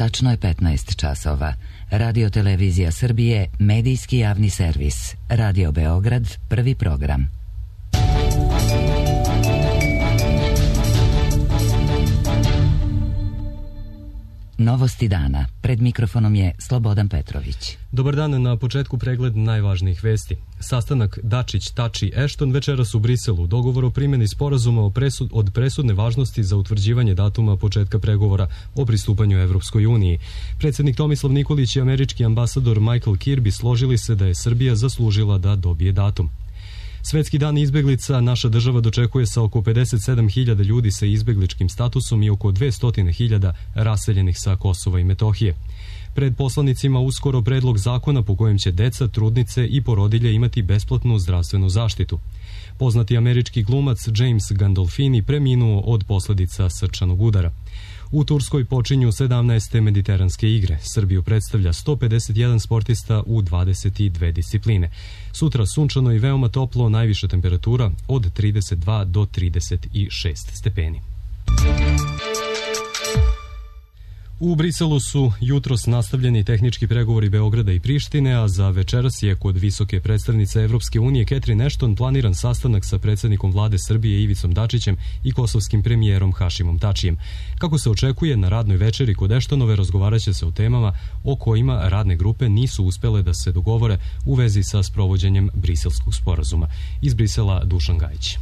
Tačno je 15 časova. Radio Televizija Srbije, medijski javni servis. Radio Beograd, prvi program. Novosti dana. Pred mikrofonom je Slobodan Petrović. Dobar dan, na početku pregled najvažnijih vesti. Sastanak Dačić-Tači-Ešton večeras u Briselu. Dogovor o primjeni sporazuma od presudne važnosti za utvrđivanje datuma početka pregovora o pristupanju Evropskoj uniji. Predsjednik Tomislav Nikolić i američki ambasador Michael Kirby složili se da je Srbija zaslužila da dobije datum. Svetski dan izbeglica naša država dočekuje sa oko 57.000 ljudi sa izbegličkim statusom i oko 200.000 raseljenih sa Kosova i Metohije. Pred poslanicima uskoro predlog zakona po kojem će deca, trudnice i porodilje imati besplatnu zdravstvenu zaštitu. Poznati američki glumac James Gandolfini preminuo od posljedica srčanog udara. U Turskoj počinju 17. mediteranske igre. Srbiju predstavlja 151 sportista u 22 discipline. Sutra sunčano i veoma toplo, najviša temperatura od 32 do 36 stepeni. U Briselu su jutros nastavljeni tehnički pregovori Beograda i Prištine, a za večeras je kod visoke predstavnice Evropske unije Catherine Ashton planiran sastanak sa predsjednikom vlade Srbije Ivicom Dačićem i kosovskim premijerom Hašimom Tačijem. Kako se očekuje, na radnoj večeri kod Ashtonove razgovaraće se o temama o kojima radne grupe nisu uspele da se dogovore u vezi sa sprovođenjem Briselskog sporazuma. Iz Brisela Dušan Gajić.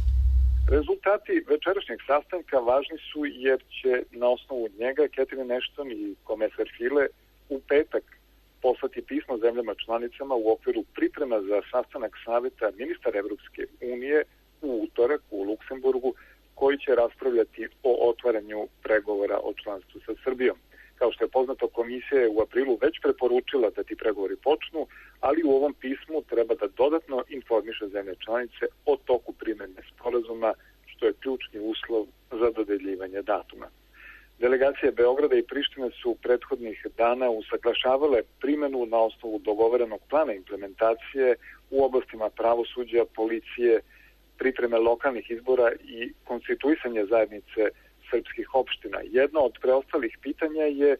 Rezultati večerašnjeg sastanka važni su jer će na osnovu njega Catherine Ashton i komesar Füle u petak poslati pismo zemljama članicama u okviru priprema za sastanak saveta ministara Evropske unije u utorak u Luksemburgu, koji će raspravljati o otvaranju pregovora o članstvu sa Srbijom. Kao što je poznato, komisija je u aprilu već preporučila da ti pregovori počnu, ali u ovom pismu treba da dodatno informiše zemlje članice o toku primjene sporazuma, što je ključni uslov za dodeljivanje datuma. Delegacije Beograda i Prištine su prethodnih dana usaglašavale primjenu na osnovu dogovorenog plana implementacije u oblastima pravosuđa, policije, pripreme lokalnih izbora i konstituisanje zajednice srpskih opština. Jedno od preostalih pitanja je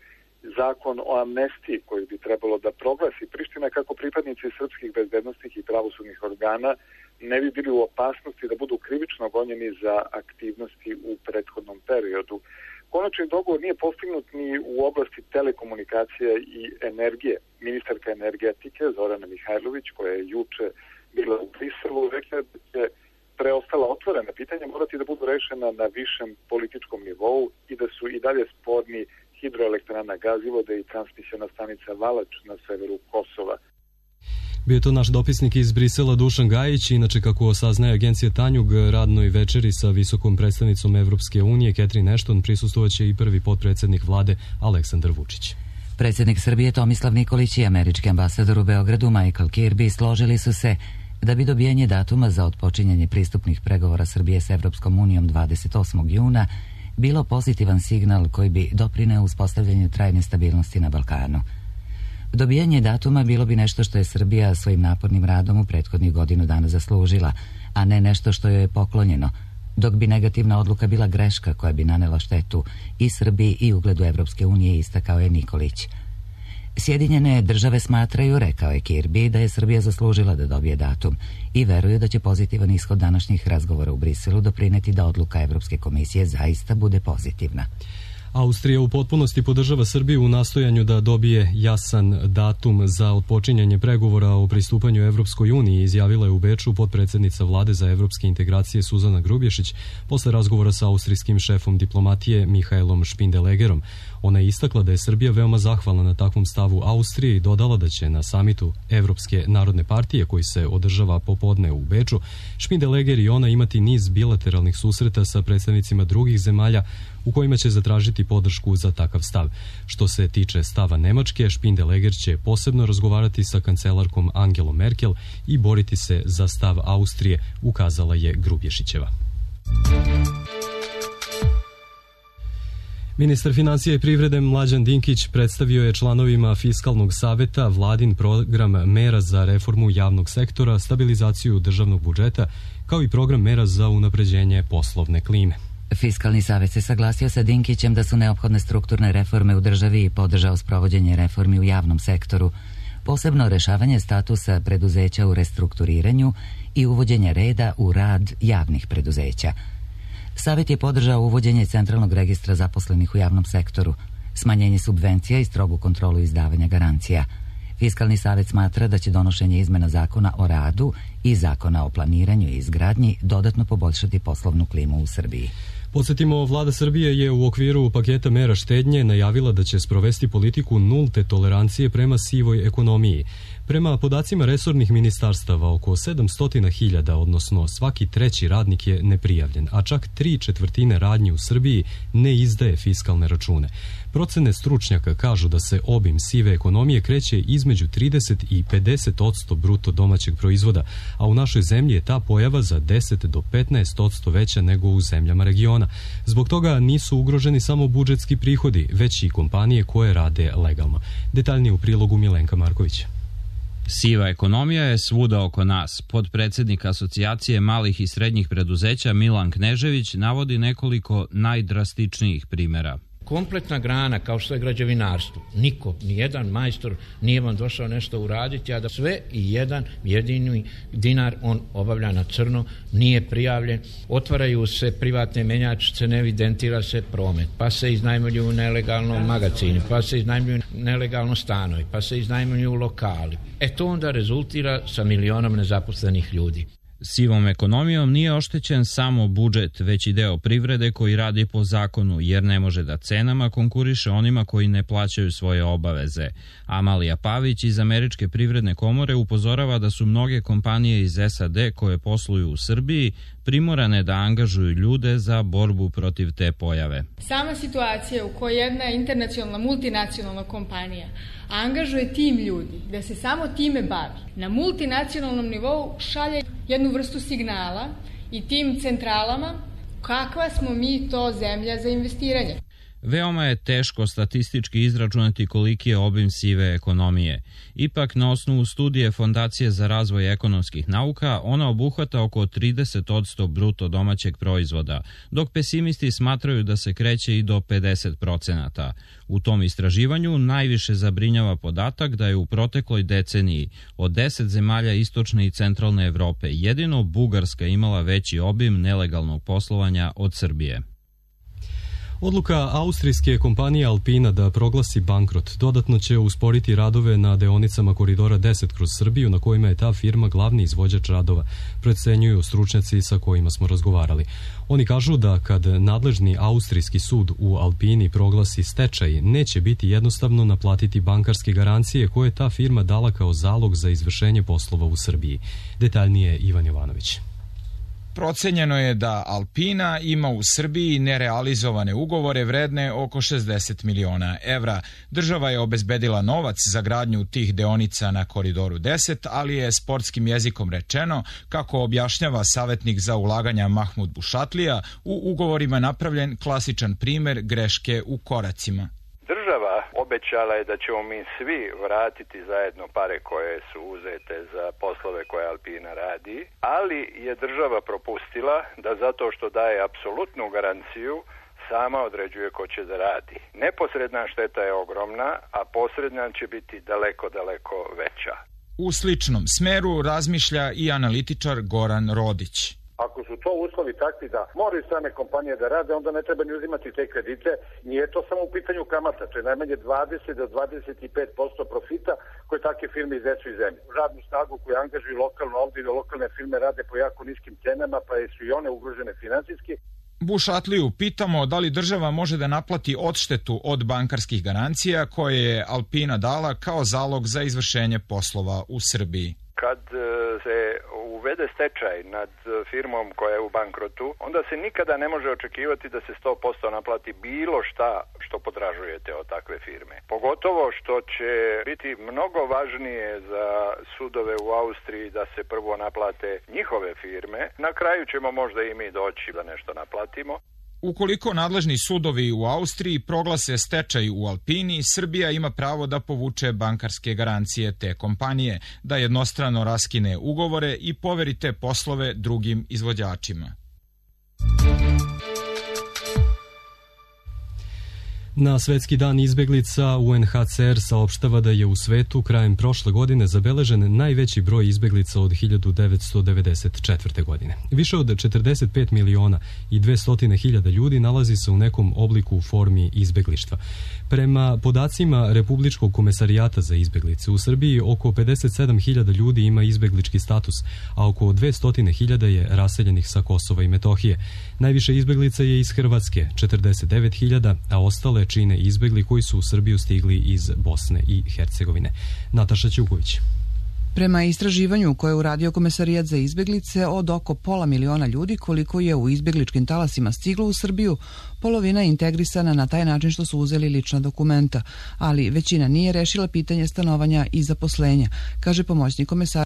zakon o amnestiji koji bi trebalo da proglasi Priština kako pripadnici srpskih bezbednosnih i pravosudnih organa ne bi bili u opasnosti da budu krivično gonjeni za aktivnosti u prethodnom periodu. Konačni dogovor nije postignut ni u oblasti telekomunikacije i energije. Ministarka energetike Zorana Mihajlović, koja je juče bila u Briselu, rekla da će preostala otvorena pitanja morati da budu rešena na višem političkom nivou i da su i dalje sporni hidroelektrana Gazivode i transmisiona stanica Valač na severu Kosova. Bio je to naš dopisnik iz Brisela Dušan Gajić. Inače, kako saznaje agencija Tanjug, radnoj večeri sa visokom predstavnicom Evropske unije Catherine Ashton prisustvovaće i prvi potpredsjednik vlade Aleksandar Vučić. Predsjednik Srbije Tomislav Nikolić i američki ambasador u Beogradu Michael Kirby složili su se da bi dobijanje datuma za otpočinjanje pristupnih pregovora Srbije s Evropskom unijom 28. juna bilo pozitivan signal koji bi doprineo uspostavljanju trajne stabilnosti na Balkanu. Dobijanje datuma bilo bi nešto što je Srbija svojim napornim radom u prethodnih godinu dana zaslužila, a ne nešto što joj je poklonjeno, dok bi negativna odluka bila greška koja bi nanela štetu i Srbiji i ugledu Evropske unije, istakao je Nikolić. Sjedinjene države smatraju, rekao je Kirby, da je Srbija zaslužila da dobije datum i veruju da će pozitivan ishod današnjih razgovora u Briselu doprineti da odluka Evropske komisije zaista bude pozitivna. Austrija u potpunosti podržava Srbiju u nastojanju da dobije jasan datum za otpočinjanje pregovora o pristupanju Evropskoj uniji, izjavila je u Beču potpredsjednica vlade za evropske integracije Suzana Grubješić posle razgovora sa austrijskim šefom diplomatije Mihaelom Špindelegerom. Ona je istakla da je Srbija veoma zahvalna na takvom stavu Austrije i dodala da će na samitu Evropske narodne partije koji se održava popodne u Beču Špindeleger i ona imati niz bilateralnih susreta sa predstavnicima drugih zemalja u kojima će zatražiti podršku za takav stav. Što se tiče stava Nemačke, Špindeleger će posebno razgovarati sa kancelarkom Angelom Merkel i boriti se za stav Austrije, ukazala je Grubješićeva. Ministar financija i privrede Mlađan Dinkić predstavio je članovima Fiskalnog saveta vladin program mera za reformu javnog sektora, stabilizaciju državnog budžeta, kao i program mera za unapređenje poslovne klime. Fiskalni savjet se saglasio sa Dinkićem da su neophodne strukturne reforme u državi i podržao sprovođenje reformi u javnom sektoru, posebno rešavanje statusa preduzeća u restrukturiranju i uvođenje reda u rad javnih preduzeća. Savjet je podržao uvođenje centralnog registra zaposlenih u javnom sektoru, smanjenje subvencija i strogu kontrolu izdavanja garancija. Fiskalni savjet smatra da će donošenje izmena zakona o radu i zakona o planiranju i izgradnji dodatno poboljšati poslovnu klimu u Srbiji. Podsjetimo, vlada Srbije je u okviru paketa mera štednje najavila da će sprovesti politiku nulte tolerancije prema sivoj ekonomiji. Prema podacima resornih ministarstava, oko 700.000, odnosno svaki treći radnik je neprijavljen, a čak 3/4 radnji u Srbiji ne izdaje fiskalne račune. Procene stručnjaka kažu da se obim sive ekonomije kreće između 30 i 50% bruto domaćeg proizvoda, a u našoj zemlji je ta pojava za 10 do 15% veća nego u zemljama regiona. Zbog toga nisu ugroženi samo budžetski prihodi, već i kompanije koje rade legalno. Detaljnije u prilogu Milenka Marković. Siva ekonomija je svuda oko nas. Podpredsednik Asocijacije malih i srednjih preduzeća Milan Knežević navodi nekoliko najdrastičnijih primera. Kompletna grana kao što je građevinarstvo. Niko, nijedan majstor nije vam došao nešto uraditi, a da sve i jedan jedini dinar on obavlja na crno, nije prijavljen. Otvaraju se privatne menjačice, ne evidentira se promet, pa se iznajmljuju nelegalno magacini, pa se iznajmljuju nelegalno stanovi, pa se iznajmljuju lokali. To onda rezultira sa milionom nezaposlenih ljudi. Sivom ekonomijom nije oštećen samo budžet, već i deo privrede koji radi po zakonu, jer ne može da cenama konkuriše onima koji ne plaćaju svoje obaveze. Amalija Pavić iz Američke privredne komore upozorava da su mnoge kompanije iz SAD koje posluju u Srbiji primorane da angažuju ljude za borbu protiv te pojave. Sama situacija u kojoj jedna internacionalna, multinacionalna kompanija angažuje tim ljudi da se samo time bavi, na multinacionalnom nivou šalje jednu vrstu signala i tim centralama kakva smo mi to zemlja za investiranje. Veoma je teško statistički izračunati koliki je obim sive ekonomije. Ipak, na osnovu studije Fondacije za razvoj ekonomskih nauka, ona obuhvata oko 30% bruto domaćeg proizvoda, dok pesimisti smatraju da se kreće i do 50%. U tom istraživanju najviše zabrinjava podatak da je u protekloj deceniji od 10 zemalja istočne i centralne Evrope jedino Bugarska imala veći obim nelegalnog poslovanja od Srbije. Odluka austrijske kompanije Alpina da proglasi bankrot dodatno će usporiti radove na deonicama Koridora 10 kroz Srbiju, na kojima je ta firma glavni izvođač radova, procenjuju stručnjaci sa kojima smo razgovarali. Oni kažu da kad nadležni austrijski sud u Alpini proglasi stečaj, neće biti jednostavno naplatiti bankarske garancije koje je ta firma dala kao zalog za izvršenje poslova u Srbiji. Detaljnije Ivan Jovanović. Procenjeno je da Alpina ima u Srbiji nerealizovane ugovore vredne oko 60 miliona evra. Država je obezbedila novac za gradnju tih deonica na Koridoru 10, ali je sportskim jezikom rečeno, kako objašnjava savjetnik za ulaganja Mahmud Bušatlija, u ugovorima napravljen klasičan primer greške u koracima. Država obećala je da ćemo mi svi vratiti zajedno pare koje su uzete za poslove koje Alpina radi, ali je država propustila da zato što daje apsolutnu garanciju sama određuje ko će da radi. Neposredna šteta je ogromna, a posredna će biti daleko, daleko veća. U sličnom smeru razmišlja i analitičar Goran Rodić. Ako su to uslovi takvi da moraju strane kompanije da rade, onda ne treba ni uzimati te kredite. Nije to samo u pitanju kamata, to je najmanje 20 do 25% profita koje takve firme iznesu iz zemlje. Radnu snagu koju angažuju lokalno ovdje i lokalne firme rade po jako niskim cenama, pa su i one ugrožene finansijski. Bušatliju pitamo da li država može da naplati odštetu od bankarskih garancija koje je Alpina dala kao zalog za izvršenje poslova u Srbiji. Kad se uvede stečaj nad firmom koja je u bankrotu, onda se nikada ne može očekivati da se 100% naplati bilo šta što potražujete od takve firme. Pogotovo što će biti mnogo važnije za sudove u Austriji da se prvo naplate njihove firme. Na kraju ćemo možda i mi doći da nešto naplatimo. Ukoliko nadležni sudovi u Austriji proglase stečaj u Alpini, Srbija ima pravo da povuče bankarske garancije te kompanije, da jednostrano raskine ugovore i poveri te poslove drugim izvođačima. Na Svetski dan izbeglica UNHCR saopštava da je u svetu krajem prošle godine zabeležen najveći broj izbeglica od 1994. godine. Više od 45 miliona i 200.000 ljudi nalazi se u nekom obliku u formi izbeglištva. Prema podacima Republičkog komesarijata za izbeglice, u Srbiji oko 57.000 ljudi ima izbeglički status, a oko 200.000 je raseljenih sa Kosova i Metohije. Najviše izbeglica je iz Hrvatske, 49.000, a ostale čine izbegli koji su u Srbiju stigli iz Bosne i Hercegovine. Nataša Ćuković. Prema istraživanju koje je uradio Komesarijat za izbeglice, od oko 500.000 ljudi koliko je u izbegličkim talasima stiglo u Srbiju, polovina je integrisana na taj način što su uzeli lična dokumenta, ali većina nije rešila pitanje stanovanja i zaposlenja, kaže pomoćnik komesara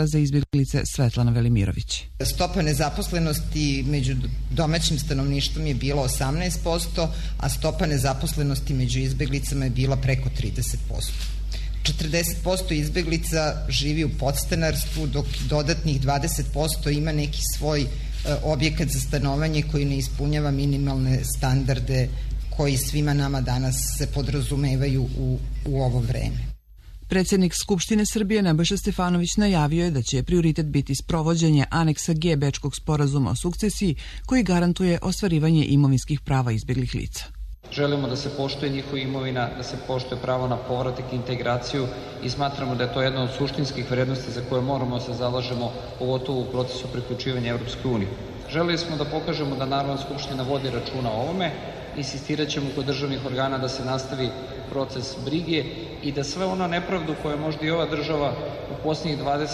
za izbeglice Svetlana Velimirović. Stopa nezaposlenosti među domaćim stanovništvom je bila 18%, a stopa nezaposlenosti među izbeglicama je bila preko 30%. 40% izbeglica živi u podstanarstvu, dok dodatnih 20% ima neki svoj objekat za stanovanje koji ne ispunjava minimalne standarde koji svima nama danas se podrazumevaju u ovo vreme. Predsjednik Skupštine Srbije Nebojša Stefanović najavio je da će prioritet biti sprovođenje aneksa G Bečkog sporazuma o sukcesiji koji garantuje ostvarivanje imovinskih prava izbjeglih lica. Želimo da se poštuje njihova imovina, da se poštuje pravo na povratak i integraciju i smatramo da je to jedna od suštinskih vrednosti za koje moramo da se zalažemo, pogotovo u procesu priključivanja Evropskoj uniji. Želeli smo da pokažemo da Narodna skupština vodi računa o ovome, insistirat ćemo kod državnih organa da se nastavi proces brige i da sve ono nepravdu koje možda i ova država u posljednjih 20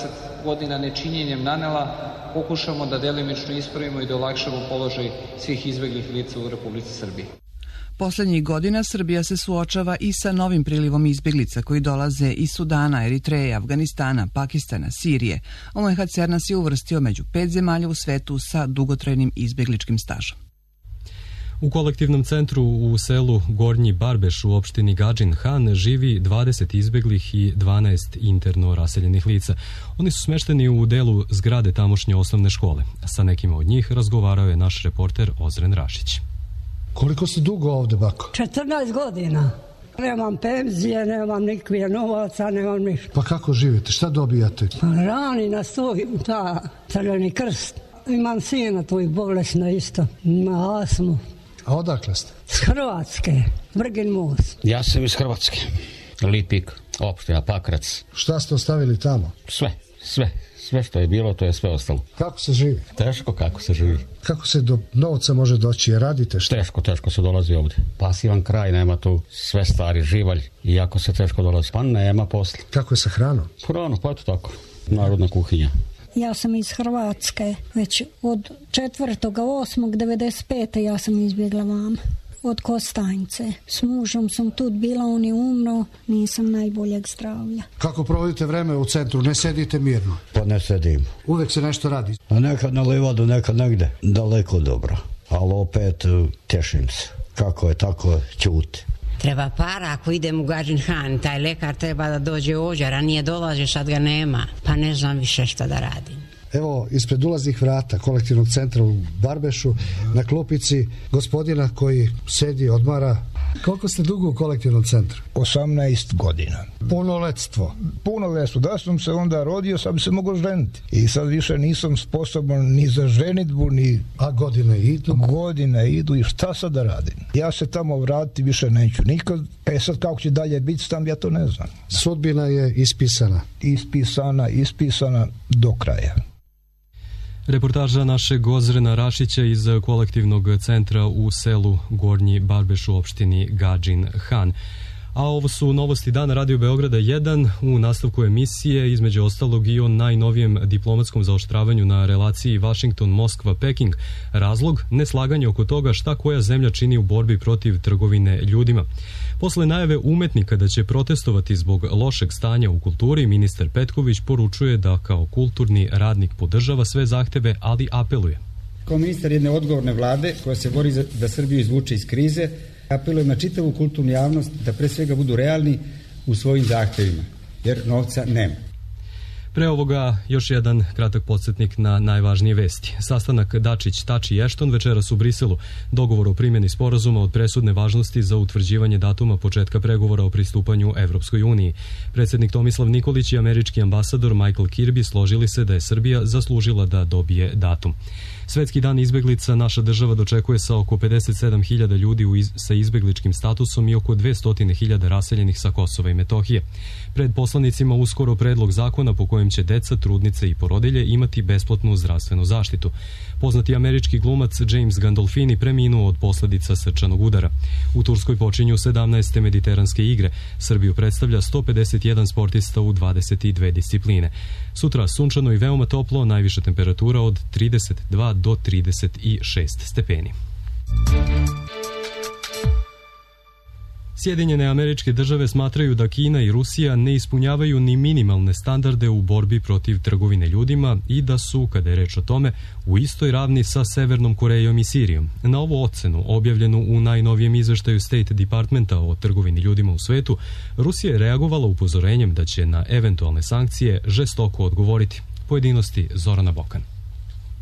godina nečinjenjem nanela, pokušamo da delimično ispravimo i da olakšamo položaj svih izbeglih lica u Republici Srbiji. Poslednjih godina Srbija se suočava i sa novim prilivom izbeglica koji dolaze iz Sudana, Eritreje, Afganistana, Pakistana, Sirije. UNHCR nas je uvrstio među 5 zemalja u svetu sa dugotrajnim izbegličkim stažom. U kolektivnom centru u selu Gornji Barbeš u opštini Gadžin Han živi 20 izbeglih i 12 interno raseljenih lica. Oni su smešteni u delu zgrade tamošnje osnovne škole. Sa nekima od njih razgovarao je naš reporter Ozren Rašić. Koliko ste dugo ovde, bako? 14 godina. Nemam penzije, nemam nikakve novaca, nemam ništa. Pa kako živite? Šta dobijate? Pa rani nas tu, Crveni krst. Imam sina tu i bolesna isto. Ima astmu. A odakle ste? S Hrvatske, Vrgin most. Ja sam iz Hrvatske. Lipik, opština Pakrac. Šta ste ostavili tamo? Sve što je bilo, to je sve ostalo. Kako se živi? Teško kako se živi. Kako se do novca može doći? Je radite šta? Teško se dolazi ovde. Pasivan kraj, nema tu sve stari živalj. Iako se teško dolazi. Pa nema posla. Kako je sa hranom? Hranu, pa eto tako. Narodna kuhinja. Ja sam iz Hrvatske. Već od 4.8.95. ja sam izbjegla vama. Od Kostajnice. S mužom sam tu bila, on je umro, nisam najboljeg zdravlja. Kako provodite vreme u centru? Ne sedite mirno? Pa ne sedim. Uvek se nešto radi? A nekad na livadu, nekad negde. Daleko dobro. Ali opet tešim se. Kako je, tako ćuti. Treba para ako idem u Gadžin Han, taj lekar treba da dođe ovdje, ranije dolaže, sad ga nema. Pa ne znam više šta da radim. Evo, ispred ulaznih vrata kolektivnog centra u Barbešu, na klupici gospodina koji sedi, odmara. Koliko ste dugo u kolektivnom centru? 18 godina. Punoletstvo? Punoletstvo. Da sam se onda rodio, sad bi se mogao ženiti. I sad više nisam sposoban ni za ženitbu, ni... A godine idu? Godine idu i šta sad da radim? Ja se tamo vratiti više neću nikad. Sad kako će dalje biti tam, ja to ne znam. Sudbina je ispisana? Ispisana do kraja. Reportaža našeg Ozrena Rašića iz kolektivnog centra u selu Gornji Barbeš u opštini Gadžin Han. A ovo su novosti dana Radio Beograda 1 u nastavku emisije, između ostalog i o najnovijem diplomatskom zaoštravanju na relaciji Washington-Moskva-Peking. Razlog? Neslaganje oko toga šta koja zemlja čini u borbi protiv trgovine ljudima. Posle najave umetnika da će protestovati zbog lošeg stanja u kulturi, ministar Petković poručuje da kao kulturni radnik podržava sve zahteve, ali apeluje. Kao ministar jedne odgovorne vlade koja se bori da Srbiju izvuče iz krize, apelujem na čitavu kulturnu javnost da pre svega budu realni u svojim zahtevima, jer novca nema. Pre ovoga još jedan kratak podsjetnik na najvažnije vesti. Sastanak Dačić-Tači i Ešton večeras u Briselu. Dogovor o primjeni sporazuma od presudne važnosti za utvrđivanje datuma početka pregovora o pristupanju Evropskoj uniji. Predsjednik Tomislav Nikolić i američki ambasador Michael Kirby složili se da je Srbija zaslužila da dobije datum. Svetski dan izbeglica naša država dočekuje sa oko 57.000 ljudi sa izbegličkim statusom i oko 200.000 raseljenih sa Kosova i Metohije. Pred poslanicima uskoro predlog zakona po kojem će deca, trudnice i porodilje imati besplatnu zdravstvenu zaštitu. Poznati američki glumac James Gandolfini preminuo od posljedica srčanog udara. U Turskoj počinju 17. mediteranske igre. Srbiju predstavlja 151 sportista u 22 discipline. Sutra sunčano i veoma toplo, najviša temperatura od 32 do 36 stepeni. Sjedinjene Američke Države smatraju da Kina i Rusija ne ispunjavaju ni minimalne standarde u borbi protiv trgovine ljudima i da su, kada je reč o tome, u istoj ravni sa Severnom Korejom i Sirijom. Na ovu ocenu, objavljenu u najnovijem izveštaju State Departmenta o trgovini ljudima u svetu, Rusija je reagovala upozorenjem da će na eventualne sankcije žestoko odgovoriti. Pojedinosti Zorana Bokan.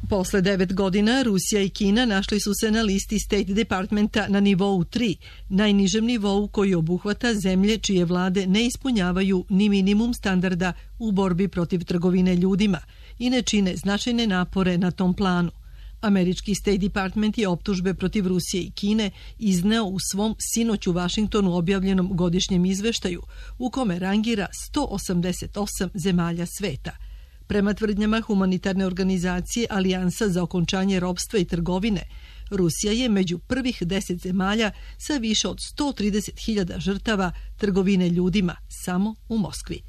Posle 9 godina Rusija i Kina našli su se na listi State Departmenta na nivou 3, najnižem nivou koji obuhvata zemlje čije vlade ne ispunjavaju ni minimum standarda u borbi protiv trgovine ljudima i ne čine značajne napore na tom planu. Američki State Department je optužbe protiv Rusije i Kine izneo u svom sinoć u Vašingtonu objavljenom godišnjem izveštaju u kome rangira 188 zemalja sveta. Prema tvrdnjama humanitarne organizacije Alijansa za okončanje ropstva i trgovine, Rusija je među prvih 10 zemalja sa više od 130.000 žrtava trgovine ljudima samo u Moskvi.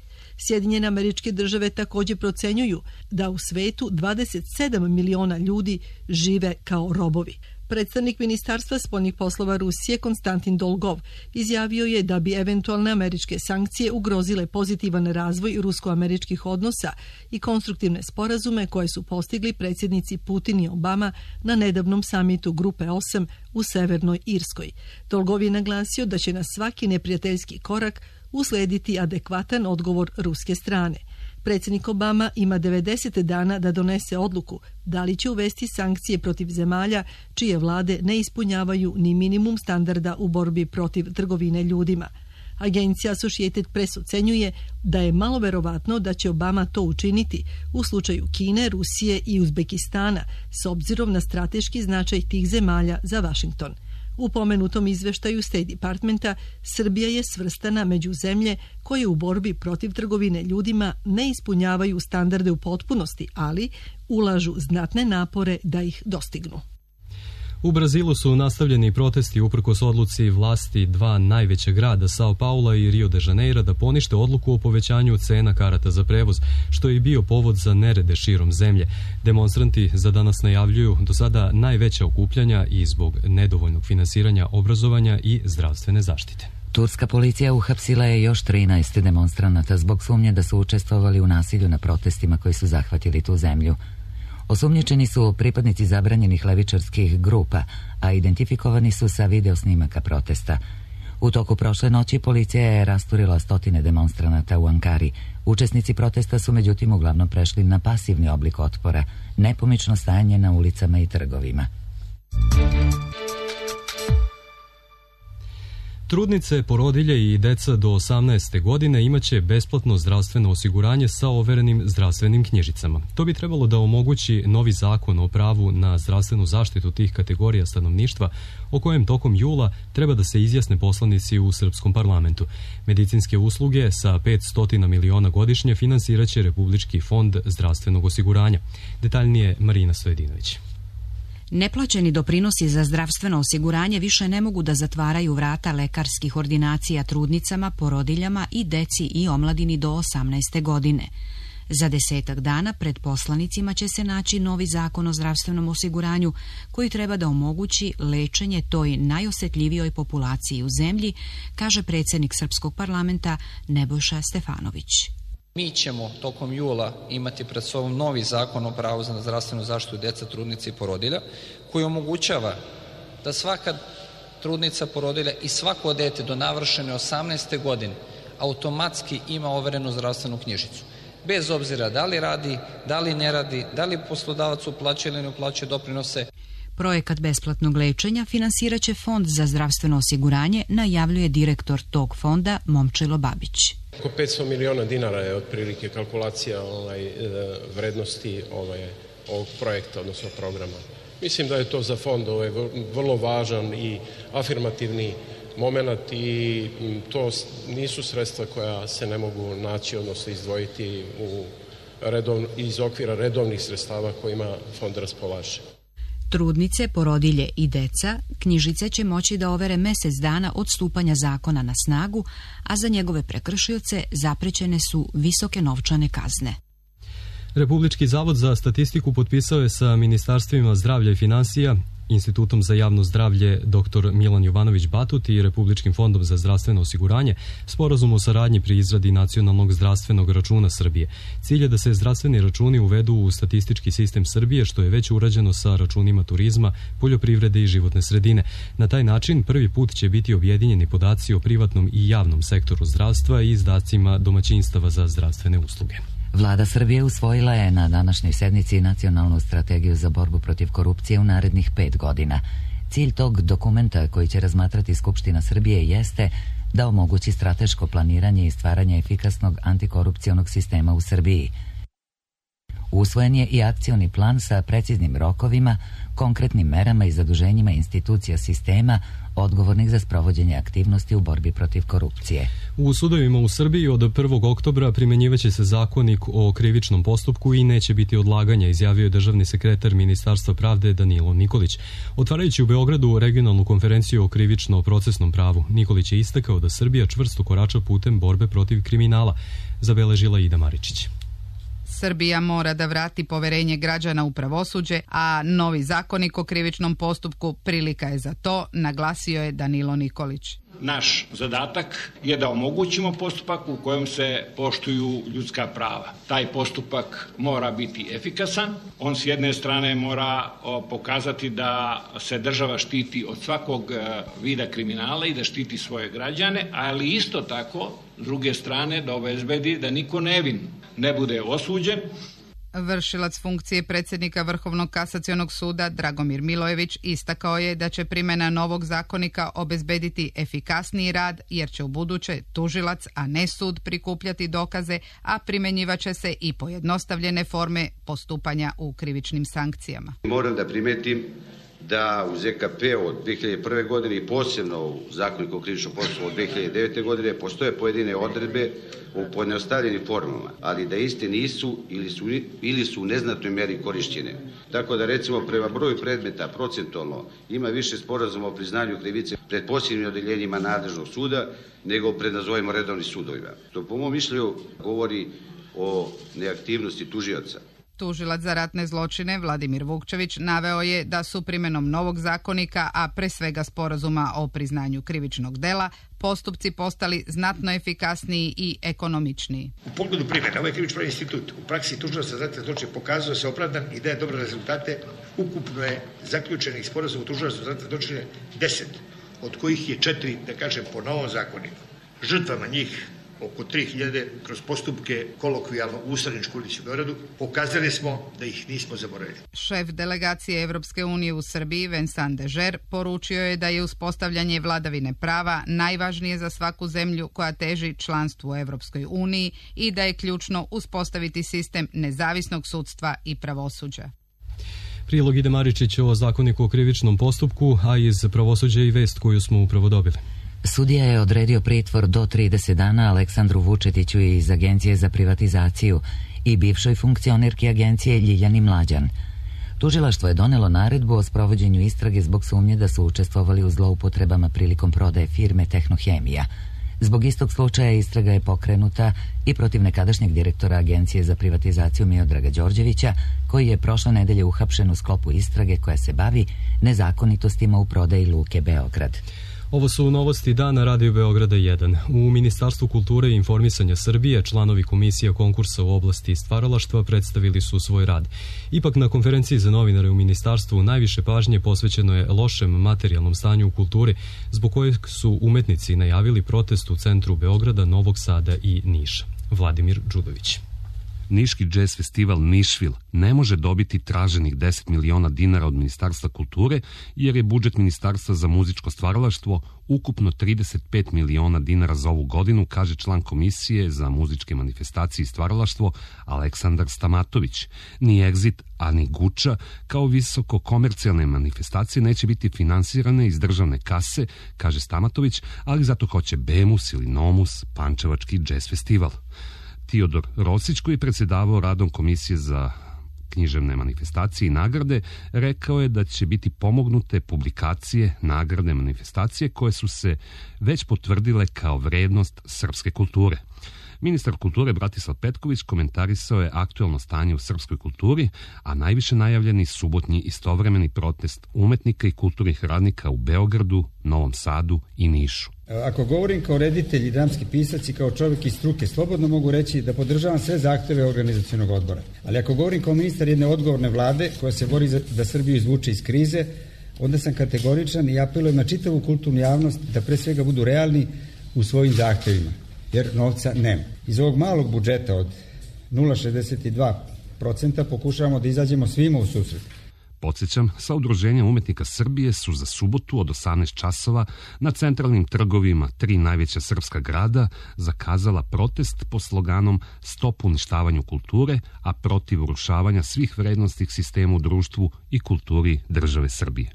Sjedinjene Američke Države također procenjuju da u svetu 27 miliona ljudi žive kao robovi. Predstavnik Ministarstva spoljnih poslova Rusije Konstantin Dolgov izjavio je da bi eventualne američke sankcije ugrozile pozitivan razvoj rusko-američkih odnosa i konstruktivne sporazume koje su postigli predsjednici Putin i Obama na nedavnom samitu Grupe 8 u Severnoj Irskoj. Dolgov je naglasio da će na svaki neprijateljski korak uslediti adekvatan odgovor ruske strane. Predsjednik Obama ima 90 dana da donese odluku da li će uvesti sankcije protiv zemalja čije vlade ne ispunjavaju ni minimum standarda u borbi protiv trgovine ljudima. Agencija Associated Press ocenjuje da je malo verovatno da će Obama to učiniti u slučaju Kine, Rusije i Uzbekistana s obzirom na strateški značaj tih zemalja za Washington. U pomenutom izveštaju State Departmenta Srbija je svrstana među zemlje koje u borbi protiv trgovine ljudima ne ispunjavaju standarde u potpunosti, ali ulažu znatne napore da ih dostignu. U Brazilu su nastavljeni protesti uprkos odluci vlasti dva najveća grada, Sao Paula i Rio de Janeiro, da ponište odluku o povećanju cena karata za prevoz, što je i bio povod za nerede širom zemlje. Demonstranti za danas najavljuju do sada najveća okupljanja i zbog nedovoljnog finansiranja obrazovanja i zdravstvene zaštite. Turska policija uhapsila je još 13 demonstranata zbog sumnje da su učestvovali u nasilju na protestima koji su zahvatili tu zemlju. Osumnjičeni su pripadnici zabranjenih levičarskih grupa, a identifikovani su sa video snimaka protesta. U toku prošle noći policija je rasturila stotine demonstranata u Ankari. Učesnici protesta su međutim uglavnom prešli na pasivni oblik otpora, nepomično stajanje na ulicama i trgovima. Trudnice, porodilje i deca do 18. godine imaće besplatno zdravstveno osiguranje sa overenim zdravstvenim knjižicama. To bi trebalo da omogući novi zakon o pravu na zdravstvenu zaštitu tih kategorija stanovništva, o kojem tokom jula treba da se izjasne poslanici u srpskom parlamentu. Medicinske usluge sa 500 miliona godišnje finansiraće Republički fond zdravstvenog osiguranja. Detaljnije Marina Stojedinović. Neplaćeni doprinosi za zdravstveno osiguranje više ne mogu da zatvaraju vrata lekarskih ordinacija trudnicama, porodiljama i deci i omladini do 18. godine. Za 10 dana pred poslanicima će se naći novi zakon o zdravstvenom osiguranju koji treba da omogući lečenje toj najosetljivijoj populaciji u zemlji, kaže predsjednik Srpskog parlamenta Nebojša Stefanović. Mi ćemo tokom jula imati pred sobom novi zakon o pravu na zdravstvenu zaštitu djeca, trudnica i porodilja, koji omogućava da svaka trudnica, porodilja i svako dete do navršene 18. godine automatski ima overenu zdravstvenu knjižicu. bez obzira da li radi, da li ne radi, da li poslodavac uplaćuje ili ne uplaćuje doprinose. Projekat besplatnog lečenja finansiraće Fond za zdravstveno osiguranje, najavljuje direktor tog fonda Momčilo Babić. Oko 500 miliona dinara je otprilike kalkulacija vrednosti ovog projekta, odnosno programa. Mislim da je to za fond vrlo važan i afirmativni moment i to nisu sredstva koja se ne mogu naći, odnosno izdvojiti iz okvira redovnih sredstava kojima fond raspolaže. Trudnice, porodilje i deca knjižice će moći da overe mjesec dana od stupanja zakona na snagu, a za njegove prekršioce zaprećene su visoke novčane kazne. Republički zavod za statistiku potpisao je sa Ministarstvima zdravlja i finansija, Institutom za javno zdravlje dr. Milan Jovanović Batut i Republičkim fondom za zdravstveno osiguranje sporazum o saradnji pri izradi nacionalnog zdravstvenog računa Srbije. Cilj je da se zdravstveni računi uvedu u statistički sistem Srbije, što je već urađeno sa računima turizma, poljoprivrede i životne sredine. Na taj način prvi put će biti objedinjeni podaci o privatnom i javnom sektoru zdravstva i izdacima domaćinstava za zdravstvene usluge. Vlada Srbije usvojila je na današnjoj sednici nacionalnu strategiju za borbu protiv korupcije u narednih 5 godina. Cilj tog dokumenta koji će razmatrati Skupština Srbije jeste da omogući strateško planiranje i stvaranje efikasnog antikorupcionog sistema u Srbiji. Usvojen je i akcioni plan sa preciznim rokovima, konkretnim merama i zaduženjima institucija sistema odgovornih za sprovođenje aktivnosti u borbi protiv korupcije. U sudovima u Srbiji od 1. oktobra primjenjivaće se zakonik o krivičnom postupku i neće biti odlaganja, izjavio je državni sekretar Ministarstva pravde Danilo Nikolić. Otvarajući u Beogradu regionalnu konferenciju o krivično-procesnom pravu, Nikolić je istakao da Srbija čvrsto korača putem borbe protiv kriminala, zabeležila Ida Maričić. Srbija mora da vrati poverenje građana u pravosuđe, a novi zakonik o krivičnom postupku prilika je za to, naglasio je Danilo Nikolić. Naš zadatak je da omogućimo postupak u kojem se poštuju ljudska prava. Taj postupak mora biti efikasan. On s jedne strane mora pokazati da se država štiti od svakog vida kriminala i da štiti svoje građane, ali isto tako, s druge strane, da obezbedi da niko nevin ne bude osuđen. Vršilac funkcije predsjednika Vrhovnog kasacionog suda Dragomir Milojević istakao je da će primjena novog zakonika obezbediti efikasniji rad, jer će ubuduće tužilac, a ne sud, prikupljati dokaze, a primjenjivaće se i pojednostavljene forme postupanja u krivičnim sankcijama. Moram da primetim da u ZKP od 2001. godine i posebno u zakoniku o krivičnom postupku od 2009. godine postoje pojedine odredbe u pojednostavljenim formama, ali da iste nisu ili su u neznatnoj meri korišćene. Tako da recimo prema broju predmeta procentualno ima više sporazuma o priznanju krivice pred posebnim odeljenjima nadležnog suda nego pred nazovimo redovnim sudovima. To po mom mišljenju govori o neaktivnosti tužioca. Tužilac za ratne zločine Vladimir Vukčević naveo je da su primjenom novog zakonika, a pre svega sporazuma o priznanju krivičnog dela, postupci postali znatno efikasniji i ekonomičniji. U pogledu primjene, ovaj krivično institut u praksi tužilaca za ratne zločine pokazao se opravdan i daje dobre rezultate. Ukupno je zaključenih sporazuma tužilaca za ratne zločine 10, od kojih je 4, da kažem, po novom zakoniku. Žrtvama njih oko 3000 kroz postupke kolokvijalno u Ustaničku ulici u Beogradu, pokazali smo da ih nismo zaboravili. Šef delegacije Evropske unije u Srbiji, Vincent Dežer, poručio je da je uspostavljanje vladavine prava najvažnije za svaku zemlju koja teži članstvu u Evropskoj uniji i da je ključno uspostaviti sistem nezavisnog sudstva i pravosuđa. Prilog Ide Maričić o zakoniku o krivičnom postupku, a iz pravosuđa i vest koju smo upravo dobili. Sudija je odredio pritvor do 30 dana Aleksandru Vučetiću iz Agencije za privatizaciju i bivšoj funkcionerki agencije Ljiljani Mlađan. Tužilaštvo je donelo naredbu o sprovođenju istrage zbog sumnje da su učestvovali u zloupotrebama prilikom prodaje firme Tehnohemija. Zbog istog slučaja istraga je pokrenuta i protiv nekadašnjeg direktora Agencije za privatizaciju Miodraga Đorđevića, koji je prošle nedelje uhapšen u sklopu istrage koja se bavi nezakonitostima u prodaji Luke Beograd. Ovo su novosti dana Radio Beograda 1. U Ministarstvu kulture i informisanja Srbije članovi komisija konkursa u oblasti stvaralaštva predstavili su svoj rad. Ipak na konferenciji za novinare u Ministarstvu najviše pažnje posvećeno je lošem materijalnom stanju u kulturi, zbog kojeg su umetnici najavili protest u centru Beograda, Novog Sada i Niša. Vladimir Đudović. Niški džez festival Nišvil ne može dobiti traženih 10 miliona dinara od Ministarstva kulture, jer je budžet Ministarstva za muzičko stvaralaštvo ukupno 35 miliona dinara za ovu godinu, kaže član Komisije za muzičke manifestacije i stvaralaštvo Aleksandar Stamatović. Ni Exit, a ni Guča, kao visoko komercijalne manifestacije, neće biti finansirane iz državne kase, kaže Stamatović, ali zato hoće Bemus ili Nomus, Pančevački džez festival. Teodor Rosić, koji je predsjedavao radom Komisije za književne manifestacije i nagrade, rekao je da će biti pomognute publikacije, nagrade, manifestacije koje su se već potvrdile kao vrednost srpske kulture. Ministar kulture Bratislav Petković komentarisao je aktuelno stanje u srpskoj kulturi, a najviše najavljeni subotnji istovremeni protest umetnika i kulturnih radnika u Beogradu, Novom Sadu i Nišu. Ako govorim kao reditelj i dramski pisac i kao čovjek iz struke, slobodno mogu reći da podržavam sve zahteve organizacionog odbora. Ali ako govorim kao ministar jedne odgovorne vlade koja se bori da Srbiju izvuče iz krize, onda sam kategoričan i apelujem na čitavu kulturnu javnost da pre svega budu realni u svojim zahtevima, jer novca nema. Iz ovog malog budžeta od 0,62% pokušavamo da izađemo svima u susret. Podsjećam, sa Udruženja umetnika Srbije su za subotu od 18 časova na centralnim trgovima 3 najveća srpska grada zakazala protest pod sloganom Stop uništavanju kulture, a protiv urušavanja svih vrednostnih sistema u društvu i kulturi države Srbije.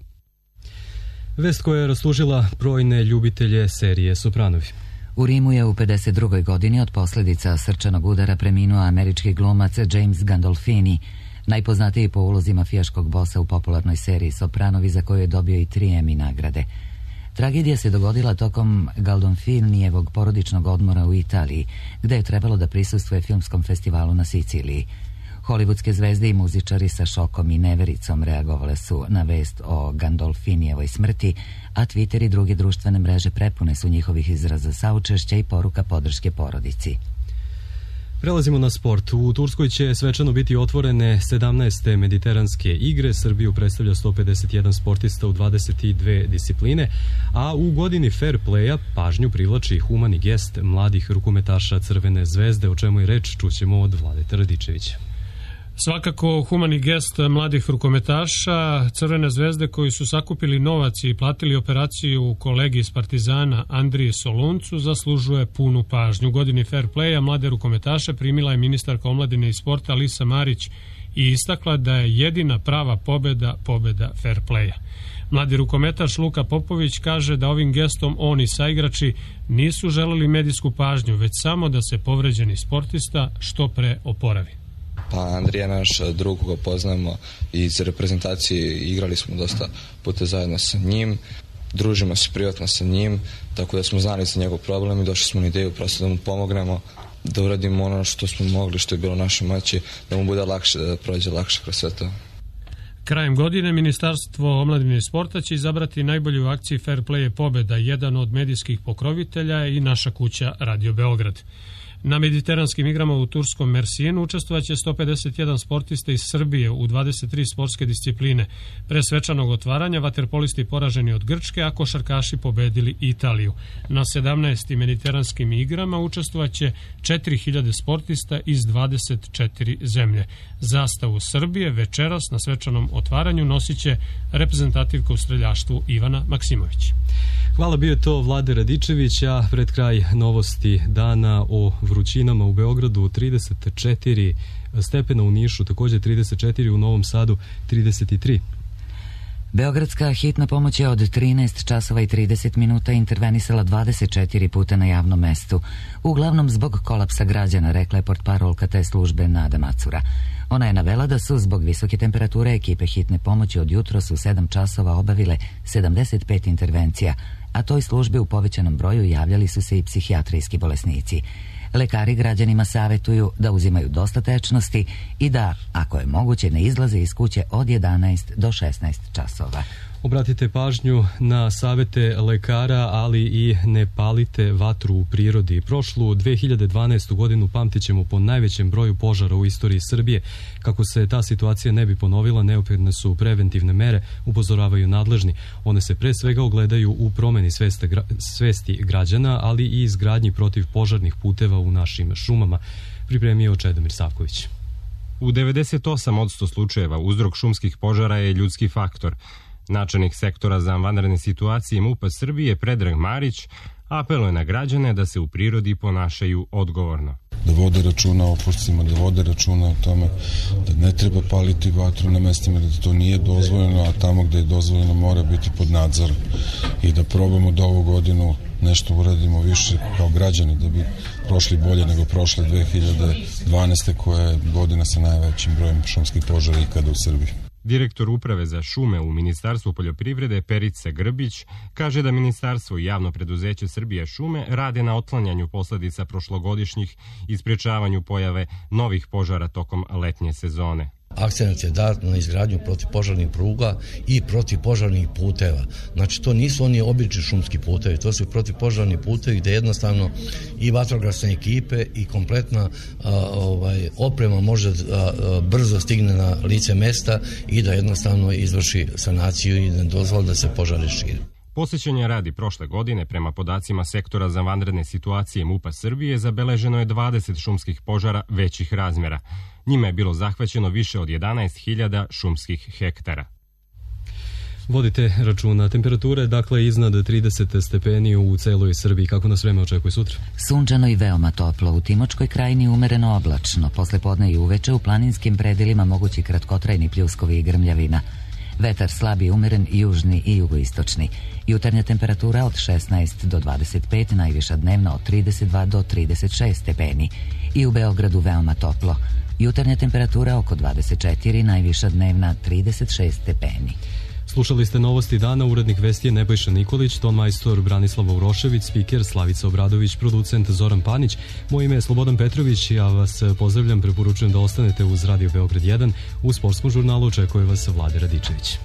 Vest koja je rastužila brojne ljubitelje serije Sopranovi. U Rimu je u 52. godini od posljedica srčanog udara preminuo američki glumac James Gandolfini, najpoznatiji po ulozi mafijaškog bosa u popularnoj seriji Sopranovi, za koju je dobio i 3 Emmy nagrade. Tragedija se dogodila tokom Gandolfinijevog porodičnog odmora u Italiji, gde je trebalo da prisustvuje filmskom festivalu na Siciliji. Hollywoodske zvezde i muzičari sa šokom i nevericom reagovale su na vest o Gandolfinijevoj smrti, a Twitter i druge društvene mreže prepune su njihovih izraza saučešća i poruka podrške porodici. Prelazimo na sport. U Turskoj će svečano biti otvorene 17. mediteranske igre. Srbiju predstavlja 151 sportista u 22 discipline, a u godini fair playa pažnju privlači humani gest mladih rukometaša Crvene zvezde, o čemu je reč čućemo od Vladeta Radičevića. Svakako humani gest mladih rukometaša Crvene zvezde koji su sakupili novac i platili operaciju kolegi iz Partizana Andriji Soluncu zaslužuje punu pažnju. U godini fair playa mlade rukometaše primila je ministarka omladine i sporta Alisa Marić i istakla da je jedina prava pobeda fair playa. Mladi rukometaš Luka Popović kaže da ovim gestom on i saigrači nisu želeli medijsku pažnju, već samo da se povređeni sportista što pre oporavi. Pa Andrija je naš drug koga poznajemo iz reprezentacije, igrali smo dosta puta zajedno sa njim, družimo se privatno sa njim, tako da smo znali za njegov problem i došli smo na ideju prosto da mu pomognemo, da uradimo ono što smo mogli, što je bilo u našoj moći, da mu bude lakše, da prođe lakše kroz sve to. Krajem godine Ministarstvo omladine i sporta će izabrati najbolju u akciji Fair Play je pobeda, jedan od medijskih pokrovitelja i naša kuća Radio Beograd. Na mediteranskim igrama u turskom Mersijenu učestvovaće 151 sportista iz Srbije u 23 sportske discipline. Pre svečanog otvaranja vaterpolisti poraženi od Grčke, a košarkaši pobedili Italiju. Na 17. mediteranskim igrama učestvovaće 4000 sportista iz 24 zemlje. Zastavu Srbije večeras na svečanom otvaranju nosiće reprezentativka u streljaštvu Ivana Maksimović. Hvala, bio je to Vlade Radičević, a pred kraj novosti dana o vrućinama u Beogradu 34 stepena, u Nišu također 34, u Novom Sadu 33. Beogradska hitna pomoć je od 13 časova i 30 minuta intervenisala 24 puta na javnom mestu, uglavnom zbog kolapsa građana, rekla je portparolka te službe Nada Macura. Ona je navela da su zbog visoke temperature ekipe hitne pomoći od jutros u 7 časova obavile 75 intervencija, a toj službi u povećanom broju javljali su se i psihijatrijski bolesnici. Lekari građanima savjetuju da uzimaju dosta tečnosti i da, ako je moguće, ne izlaze iz kuće od 11 do 16 časova. Obratite pažnju na savjete lekara, ali i ne palite vatru u prirodi. Prošlu 2012. godinu pamtit ćemo po najvećem broju požara u istoriji Srbije. Kako se ta situacija ne bi ponovila, neophodne su preventivne mere, upozoravaju nadležni. One se pre svega ogledaju u promeni svesti građana, ali i izgradnji protiv požarnih puteva u našim šumama. pripremio Čedomir Savković. U 98% slučajeva uzrok šumskih požara je ljudski faktor. Načelnik sektora za vanredne situacije MUP-a Srbije Predrag Marić apeluje na građane da se u prirodi ponašaju odgovorno. Da vode računa o opošcima, da vode računa o tome da ne treba paliti vatru na mestima, da to nije dozvoljeno, a tamo gde je dozvoljeno mora biti pod nadzorom. I da probamo da ovu godinu nešto uradimo više kao građani, da bi prošli bolje nego prošle 2012. koja je godina sa najvećim brojem šumskih požara ikada u Srbiji. Direktor uprave za šume u Ministarstvu poljoprivrede Perica Grbić kaže da Ministarstvo i javno preduzeće Srbija šume rade na otklanjanju posledica prošlogodišnjih i sprečavanju pojave novih požara tokom letnje sezone. Akcenat je dat na izgradnju protivpožarnih pruga i protivpožarnih puteva. Znači, to nisu oni obični šumski putevi, to su protivpožarni putevi gde jednostavno i vatrogasne ekipe i kompletna oprema može brzo stigne na lice mesta i da jednostavno izvrši sanaciju i ne dozvoli da se požari šire. Posjećenja radi prošle godine, prema podacima sektora za vanredne situacije MUP-a Srbije, zabeleženo je 20 šumskih požara većih razmjera. Njima je bilo zahvaćeno više od 11.000 šumskih hektara. Vodite računa, temperatura je dakle iznad 30 stepeni u celoj Srbiji. Kako nas vreme očekuje sutra? Sunčano i veoma toplo. U Timočkoj krajini umereno oblačno. Posle podne i uveče u planinskim predelima mogući kratkotrajni pljuskovi i grmljavina. Vetar slab i umeren, južni i jugoistočni. Jutarnja temperatura od 16 do 25, najviša dnevno od 32 do 36 stepeni. I u Beogradu veoma toplo. Jutarnja temperatura oko 24, najviša dnevna 36 stepeni. Slušali ste novosti dana, urednik vesti je Nebojša Nikolić, ton majstor Branislava Urošević, spiker Slavica Obradović, producent Zoran Panić. Moje ime je Slobodan Petrović, ja vas pozdravljam, preporučujem da ostanete uz Radio Beograd 1. U sportskom žurnalu očekuje vas Vlade Radičević.